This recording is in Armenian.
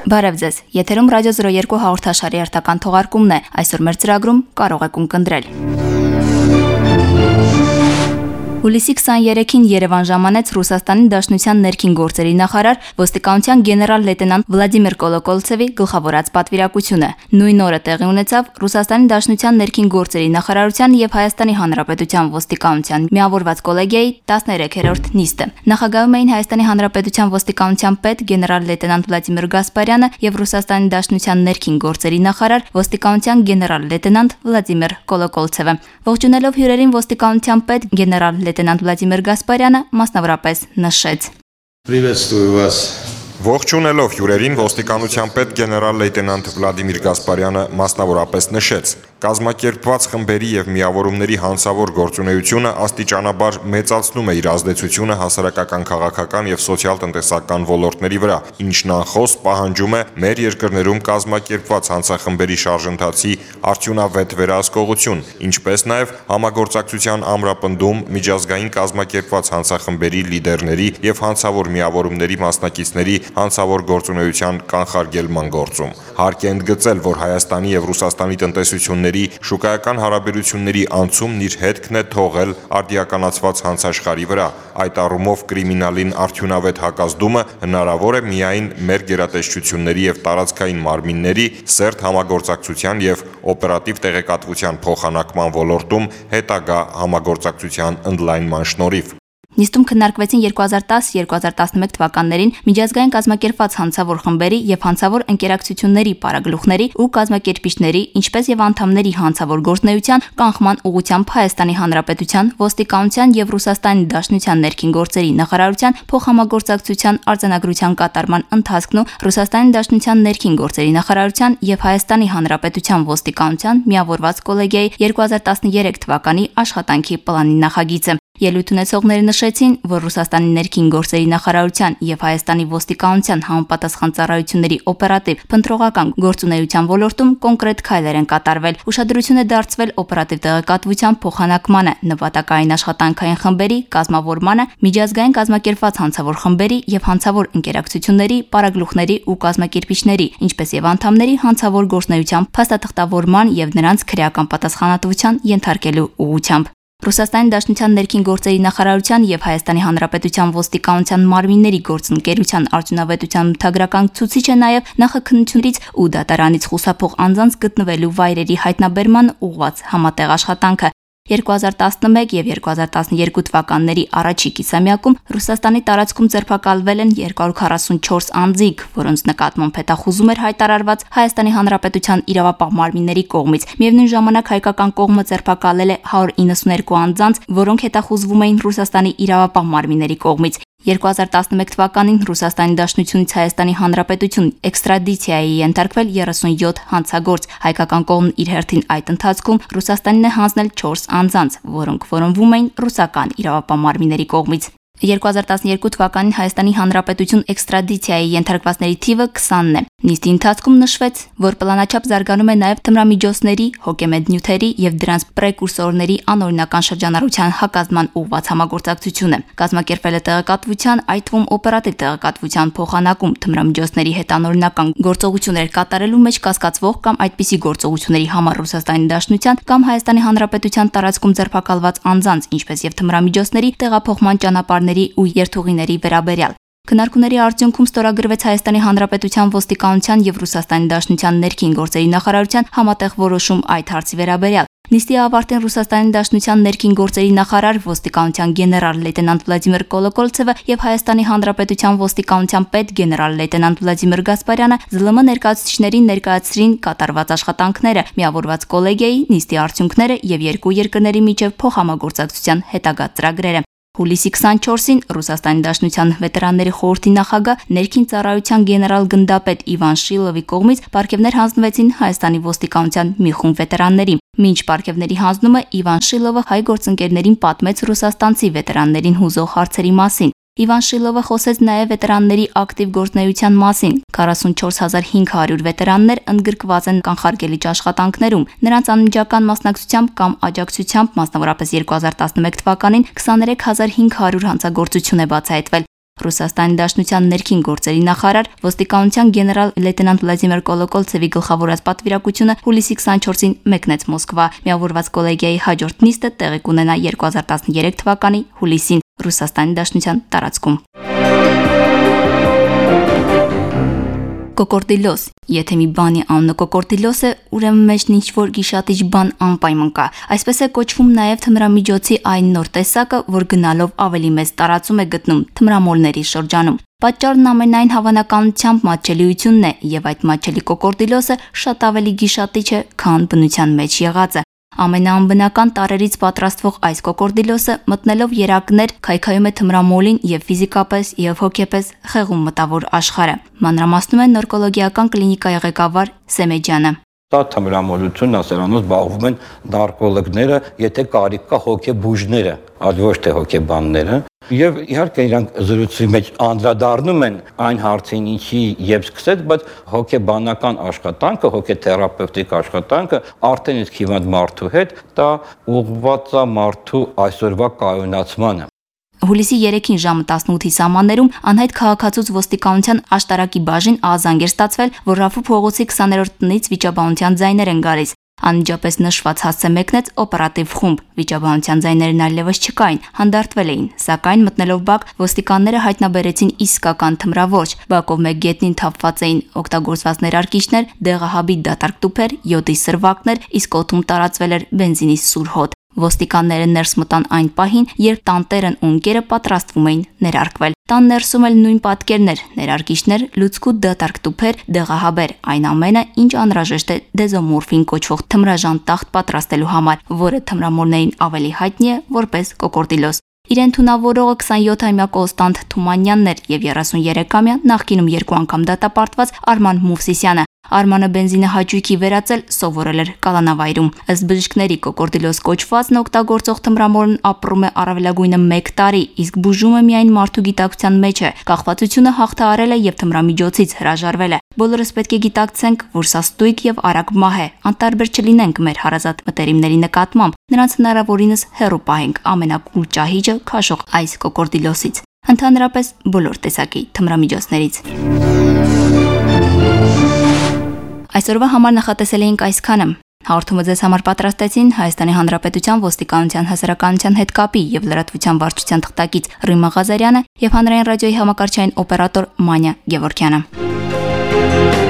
Բարև ձեզ, եթերում Ռադիո 02 հաղորդաշարի հերթական թողարկումն է, այսօր մեր ծրագրում կարող եք ունկնդրել։ Հուլիսի 23-ին Երևան ժամանեց Ռուսաստանի Դաշնության ներքին գործերի նախարար ոստիկանության գեներալ լեյտենանտ Վլադիմիր Կոլոկոլցևի գլխավորած պատվիրակությունը։ Նույն օրը տեղի ունեցավ Ռուսաստանի Դաշնության ներքին գործերի նախարարության եւ Հայաստանի Հանրապետության ոստիկանության միավորված կոլեգիայի 13-րդ նիստը։ Նախագահում էին Հայաստանի Հանրապետության ոստիկանության պետ գեներալ լեյտենանտ Վլադիմիր Գասպարյանը եւ Ռուսաստանի Դաշնության ներքին գործերի նախարար ոստիկանության գեներալ լեյտենանտ Վլադիմիր Կոլոկոլցևը։ Ողջունելով հյուրերին ոստիկանության պետ գեներալ լեյտենանտ Վլադիմիր Գասպարյանը մասնավորապես նշեց. Приветствую вас. Ողջունելով հյուրերին ոստիկանության պետ գեներալ լեյտենանտ Վլադիմիր Գասպարյանը մասնավորապես նշեց. կազմակերպված խմբերի եւ միավորումների հանցավոր գործունեությունը աստիճանաբար մեծացնում է իր ազդեցությունը հասարակական, քաղաքական եւ սոցիալ-տնտեսական ոլորտների վրա, ինչն անխոս պահանջում է մեր երկրներում կազմակերպված հանցախմբերի շարժընթացի արդյունավետ վերահսկողություն, ինչպես նաեւ համագործակցության ամրապնդում միջազգային կազմակերպված հանցախմբերի լիդերների եւ հանցավոր միավորումների մասնակիցների հանցավոր գործունեության կանխարգելման գործում։ Հարկ է ընդգծել, որ Հայաստանի եւ Ռուսաստանի տնտեսությունների շուկայական հարաբերությունների անցումն իր հետքն է թողել արդիականացված հանցաշխարհի վրա։ Այդ առումով կրիմինալին արդյունավետ հակազդումը հնարավոր է միայն մեր գերատեսչությունների եւ տարածքային մարմինների սերտ համագործակցության եւ օպերատիվ տեղեկատվության փոխանակման ոլորտում հետագա համագործակցության ընդլայնման շնորհիվ։ Նիստում քննարկվեցին 2010-2011 թվականներին միջազգային կազմակերպված հանցավոր խմբերի եւ հանցավոր ընկերակցությունների պարագլուխների ու կազմակերպիչների, ինչպես եւ անդամների հանցավոր գործունեության կանխման ուղղությամբ Հայաստանի Հանրապետության ոստիկանության եւ Ռուսաստանի Դաշնության ներքին գործերի նախարարության փոխհամագործակցության արձանագրության կատարման ընթացքն ու Ռուսաստանի Դաշնության ներքին գործերի նախարարության եւ Հայաստանի Հանրապետության ոստիկանության միավորված կոլեգիայի 2013 թվականի աշխատանքի պլանի նախագիծը։ Ելույթ ունեցողները նշեցին, որ Ռուսաստանի ներքին գործերի նախարարության եւ Հայաստանի ոստիկանության համապատասխան ծառայությունների օպերատիվ փնտրողական գործունեության ոլորտում կոնկրետ քայլեր են կատարվել։ Ուշադրություն է դարձվել օպերատիվ տեղեկատվության փոխանակմանը, նպատակային աշխատանքային խմբերի կազմավորմանը, միջազգային կազմակերպված հանցավոր խմբերի եւ հանցավոր ընկերակցությունների, պարագլուխների ու կազմակերպիչների, ինչպես եւ անդամների հանցավոր գործունեության փաստաթղթավորման եւ նրանց քրեական պատասխանատվության ենթարկելու ուղղությամբ։ Ռուսաստանի Դաշնության ներքին գործերի նախարարության եւ Հայաստանի Հանրապետության ոստիկանության մարմինների գործընկերության արդյունավետության մթագրական ցուցիչ է նաեւ նախաքննությունից ու դատարանից խուսափող անձանց գտնվելու վայրերի հայտնաբերման ուղղված համատեղ աշխատանքը։ 2011 եւ 2012 թվականների առաջի կիսամյակում Ռուսաստանի տարածքում ձերբակալվել են 244 անձիկ, որոնց նկատմամբ հետախուզում էր հայտարարված Հայաստանի Հանրապետության իրավապահ մարմինների կողմից։ Միևնույն ժամանակ հայկական կողմը ձերբակալել է 192 անձանց, որոնք հետախուզվում էին Ռուսաստանի իրավապահ մարմինների կողմից։ 2011 թվականին Ռուսաստանի Դաշնությունից Հայաստանի Հանրապետություն էքստրադիցիայի ենթարկվել 37 հանցագործ։ Հայկական կողմն իր հերթին այդ ընթացքում Ռուսաստանին է հանձնել 4 անձանց, որոնք որոնվում էին ռուսական իրավապահ մարմինների կողմից։ 2012 թվականին Հայաստանի Հանրապետություն էքստրադիցիայի ենթարկվածների թիվը 20-ն է։ Նիստի ընթացքում նշվեց, որ պլանաչափ զարգանում է նաև թմրամիջոցների, հոգեմետ նյութերի եւ դրանց պրեկուրսորների անօրինական շրջանառության հակազդման ուղղված համագործակցությունը։ Կազմակերպվել է տեղեկատվության, այդ թվում օպերատիվ տեղեկատվության փոխանակում թմրամիջոցների հետ անօրինական գործողություններ կատարելու մեջ կասկածվող կամ այդպիսի գործողությունների համար Ռուսաստանի Դաշնության կամ Հայաստանի Հանրապետության տարածքում ձերբակալված անձանց, ինչպես եւ թմրամիջոցների տեղափոխման ճանապարհների ու երթուղիների վերաբերյալ։ Քննարկումների արդյունքում ստորագրվեց Հայաստանի Հանրապետության ոստիկանության եւ Ռուսաստանի Դաշնության ներքին գործերի նախարարության համատեղ որոշում այդ հարցի վերաբերյալ։ Նիստի ավարտին Ռուսաստանի Դաշնության ներքին գործերի նախարար ոստիկանության գեներալ լեյտենանտ Վլադիմիր Կոլոկոլցևը եւ Հայաստանի Հանրապետության ոստիկանության պետ գեներալ լեյտենանտ Վլադիմիր Գասպարյանը ԶԼՄ ներկայացուցիչներին ներկայացրին կատարված աշխատանքները, միավորված կոլեգիայի նիստի արդյունքները եւ երկու երկրների միջև փոխհամագործակցության հետագա ծրագրերը։ Հուլիսի 24-ին Ռուսաստանի Դաշնության վետերանների խորհրդի նախագահ ներքին ծառայության գեներալ գնդապետ Իվան Շիլովի կողմից պարգևներ հանձնվեցին Հայաստանի ոստիկանության մի խումբ վետերանների։ Մինչ պարգևների հանձնումը Իվան Շիլովը հայ գործընկերներին պատմեց ռուսաստանցի վետերաններին հուզող հարցերի մասին։ Իվան Շիլովը խոսեց նաև վետերանների ակտիվ գործունեության մասին։ 44500 վետերաններ ընդգրկված են կանխարգելիչ աշխատանքներում։ Նրանց անմիջական մասնակցությամբ կամ աջակցությամբ, մասնավորապես 2011 թվականին 23500 հանցագործություն է բացահայտվել։ Ռուսաստանի Դաշնության ներքին գործերի նախարար ոստիկանության գեներալ լեյտենանտ Վլադիմիր Կոլոկոլցևի գլխավորած պատվիրակությունը հուլիսի 24-ին մեկնեց Մոսկվա։ Միավորված կոլեգիայի հաջորդ նիստը տեղի կունենա 2013 թվականի հուլիսին Ռուսաստանի Դաշնության տարածքում։ Կոկորդիլոս։ Եթե մի բանի անունը կոկորդիլոս է, ուրեմն մեջն ինչ-որ գիշատիչ բան անպայման կա։ Այսպես է կոչվում նաև թմրամիջոցի այն նոր տեսակը, որ գնալով ավելի մեծ տարածում է գտնում թմրամոլների շրջանում։ Պատճառն ամենայն հավանականությամբ մատչելիությունն է, եւ այդ մատչելի կոկորդիլոսը շատ ավելի գիշատիչ է, քան բնության մեջ եղածը։ Ամենաանբնական տարրերից պատրաստվող այս կոկորդիլոսը մտնելով երակներ քայքայում է թմրամոլին եւ ֆիզիկապես եւ հոգեպես խեղում մտավոր աշխարհը։ Մանրամասնում է նորկոլոգիական կլինիկայի ղեկավար Սեմեջյանը։ Դա թմրամոլությունն ասերանոց զբաղվում են նարկոլոգները, եթե կարիք կա հոգեբուժները, այլ ոչ թե հոգեբանները։ Եվ իհարկե իրանք զրույցի մեջ անդրադառնում են այն հարցին, ինչի երբ սկսեց, բայց հոգեբանական աշխատանքը, հոգեթերապևտիկ աշխատանքը արդեն իսկ հիվանդ մարդու հետ դա ուղղված է մարդու այսօրվա կայունացմանը։ Հուլիսի 3-ին ժամը 18-ի սահմաններում անհայտ քաղաքացուց ոստիկանության աշտարակի բաժին ահազանգ էր ստացվել, որ Ռաֆու փողոցի 20-րդ տնից վիճաբանության ձայներ են գալիս։ Անմիջապես նշված հասցե մեկնեց օպերատիվ խումբ։ Վիճաբանության ձայներն այլևս չկային, հանդարտվել էին, սակայն մտնելով բակ ոստիկանները հայտնաբերեցին իսկական թմրավորջ։ Բակով մեկ գետնին թափված էին օգտագործված ներարկիչներ, դեղահաբիտ դատարկ տուփեր, յոդի սրվակներ, իսկ օդում տարածվել էր բենզինի սուր հոտ։ Ոստիկանները ներս մտան այն պահին, երբ տանտերն ու ընկերը պատրաստվում էին ներարկվել։ Տան ներսում էլ նույն պատկերն էր՝ ներարկիչներ, լուցկու դատարկ տուփեր, դեղահաբեր, այն ամենը, ինչ անհրաժեշտ է դեզոմորֆին կոչվող թմրաժան տախտ պատրաստելու համար, որը թմրամոլներին ավելի հայտնի է որպես կոկորդիլոս։ Իրեն թունավորողը 27-ամյա Կոնստանտ Թումանյանն էր եւ 33-ամյա նախկինում 2 անգամ դատապարտված Արման Մովսիսյանը։ Արմանը բենզինը հաճույքի վերածել սովորել էր կալանավայրում։ Ըստ բժիշկների կոկորդիլոս կոչվածն օգտագործող թմրամոլն ապրում է առավելագույնը 1 տարի, իսկ բուժումը միայն մարդու գիտակցության մեջ է։ Կախվածությունը հաղթահարել է եւ թմրամիջոցից հրաժարվել է։ Բոլորս պետք է գիտակցենք, որ սա ստույգ եւ արագ մահ է, անտարբեր չլինենք մեր հարազատ մտերիմների նկատմամբ, նրանց հնարավորինս հեռու պահենք ամենակուլ ճահիճը քաշող այս կոկորդիլոսից, ընդհանրապես բոլոր տեսակի թմրամիջոցներից։ Այսօրվա համար նախատեսել էինք այսքանը։ Հաղորդումը ձեզ համար պատրաստեցին Հայաստանի Հանրապետության ոստիկանության հասարակայնության հետ կապի եւ լրատվության վարչության թղթակից Ռիմա Ղազարյանը եւ հանրային ռադիոյի համակարգչային օպերատոր Մանյա Գևորգյանը։